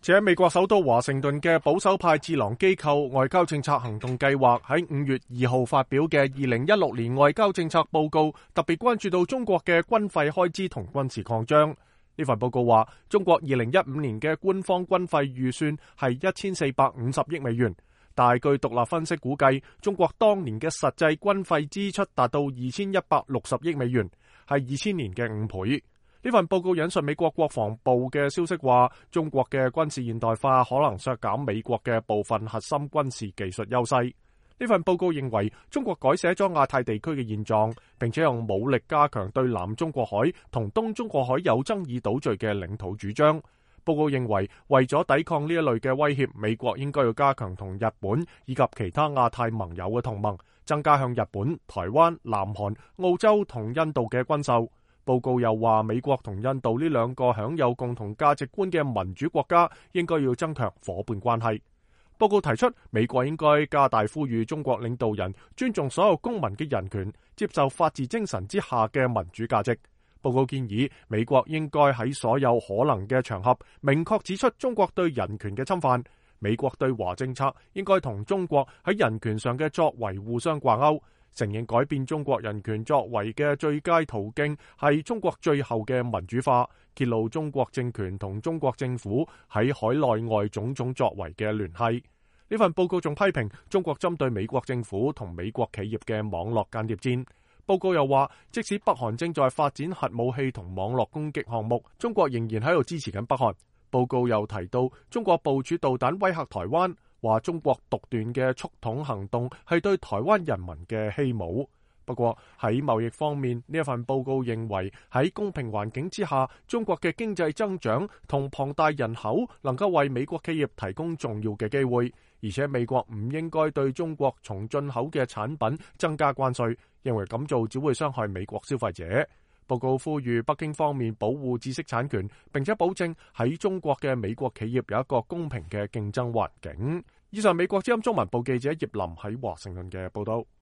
且美國首都華盛頓嘅保守派智囊機構外交政策行動計劃喺5月2號發表嘅2016年外交政策報告，特別關注到中國嘅軍費開支同軍事擴張。呢份報告話，中國2015年嘅官方軍費預算係1450億美元，但係據獨立分析估計，中國當年嘅實際軍費支出達到2160億美元，係2000年嘅5倍。呢份報告引述美國國防部嘅消息話，中國嘅軍事現代化可能削減美國嘅部分核心軍事技術優勢。呢份報告認為，中國改寫咗亞太地區嘅現狀，並且用武力加強對南中國海同東中國海有爭議島嶼嘅領土主張。報告認為，為咗抵抗呢一類嘅威脅，美國應該要加強同日本以及其他亞太盟友嘅同盟，增加向日本、台灣、南韓、澳洲同印度嘅軍售。報告又話，美國同印度呢兩個享有共同價值觀嘅民主國家應該要增強夥伴關係。報告提出，美國應該加大呼籲中國領導人尊重所有公民嘅人權，接受法治精神之下嘅民主價值。報告建議，美國應該喺所有可能嘅場合明確指出中國對人權嘅侵犯。美國對華政策應該同中國喺人權上嘅作為互相掛鈎。承認改變中國人權作為嘅最佳途徑係中國最後嘅民主化，揭露中國政權同中國政府喺海內外種種作為嘅聯繫。呢份報告仲批評中國針對美國政府同美國企業嘅網絡間諜戰。報告又話，即使北韓正在發展核武器同網絡攻擊項目，中國仍然喺度支持緊北韓。報告又提到中國部署導彈威嚇台灣，話中國獨斷嘅促統行動係對台灣人民嘅欺侮。不過喺貿易方面，呢一份報告認為喺公平環境之下，中國嘅經濟增長同龐大人口能夠為美國企業提供重要嘅機會，而且美國唔應該對中國從進口嘅產品增加關稅，認為咁做只會傷害美國消費者。報告呼籲北京方面保護知識產權，並且保證喺中國嘅美國企業有一個公平嘅競爭環境。以上美國之音中文部記者葉林喺華盛頓嘅報道。